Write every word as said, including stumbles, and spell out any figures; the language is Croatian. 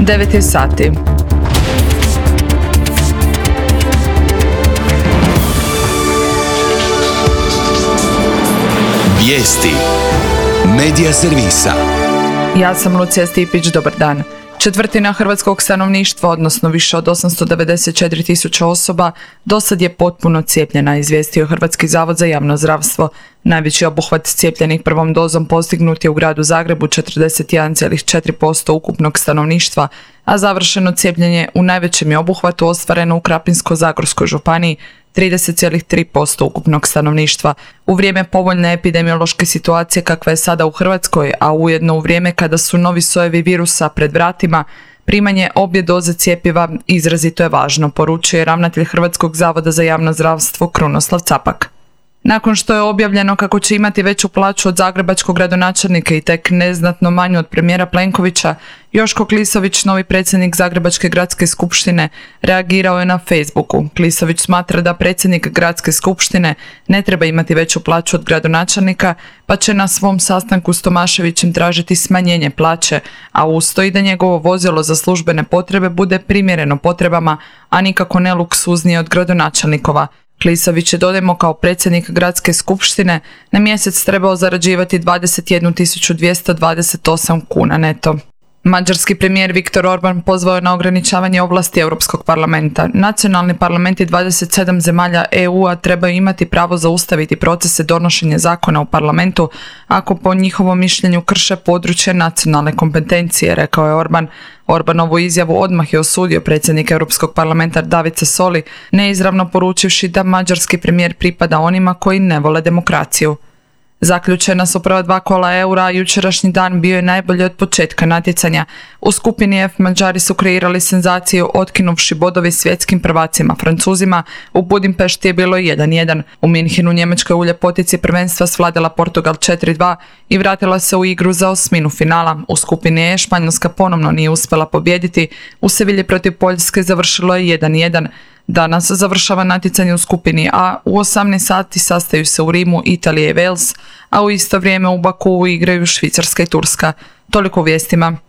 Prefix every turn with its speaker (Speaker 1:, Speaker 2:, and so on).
Speaker 1: devet je sati.
Speaker 2: Vijesti Medija servisa.
Speaker 1: Ja sam Lucija Stipić, dobar dan. Četvrtina hrvatskog stanovništva, odnosno više od osamsto devedeset četiri tisuće osoba, dosad je potpuno cijepljena, izvijestio Hrvatski zavod za javno zdravstvo. Najveći obuhvat cijepljenih prvom dozom postignut je u gradu Zagrebu, četrdeset jedan zarez četiri posto ukupnog stanovništva, a završeno cijepljenje u najvećem je obuhvatu ostvareno u Krapinsko-zagorskoj županiji, trideset zarez tri posto ukupnog stanovništva. U vrijeme povoljne epidemiološke situacije kakva je sada u Hrvatskoj, a ujedno u vrijeme kada su novi sojevi virusa pred vratima, primanje obje doze cjepiva izrazito je važno, poručuje ravnatelj Hrvatskog zavoda za javno zdravstvo Krunoslav Capak. Nakon što je objavljeno kako će imati veću plaću od zagrebačkog gradonačelnika i tek neznatno manju od premijera Plenkovića, Joško Klisović, novi predsjednik Zagrebačke gradske skupštine, reagirao je na Facebooku. Klisović smatra da predsjednik gradske skupštine ne treba imati veću plaću od gradonačelnika, pa će na svom sastanku s Tomaševićem tražiti smanjenje plaće, a usto i da njegovo vozilo za službene potrebe bude primjereno potrebama, a nikako ne luksuznije od gradonačelnikova. Klisović je, dodajmo, kao predsjednik gradske skupštine na mjesec trebao zarađivati dvadeset jednu tisuću dvjesto dvadeset osam kuna neto. Mađarski premijer Viktor Orban pozvao je na ograničavanje ovlasti Europskog parlamenta. Nacionalni parlamenti dvadeset sedam zemalja E U-a trebaju imati pravo zaustaviti procese donošenja zakona u parlamentu ako po njihovom mišljenju krše područje nacionalne kompetencije, rekao je Orban. Orbanovu izjavu odmah je osudio predsjednik Europskog parlamenta David Sassoli, neizravno poručivši da mađarski premijer pripada onima koji ne vole demokraciju. Zaključena su prva dva kola eura, a jučerašnji dan bio je najbolji od početka natjecanja. U skupini F Mađari su kreirali senzaciju otkinuvši bodovi svjetskim prvacima Francuzima, u Budimpešti je bilo jedan jedan. U Minhenu Njemačka u ljepotici prvenstva svladala Portugal četiri dva i vratila se u igru za osminu finala. U skupini E Španjolska ponovno nije uspjela pobijediti, u Sevilji protiv Poljske završilo je jedan jedan. Danas završava natjecanje u skupini A, u osamnaest sati sastaju se u Rimu Italija i Wales, a u isto vrijeme u Bakuu igraju Švicarska i Turska. Toliko u vijestima.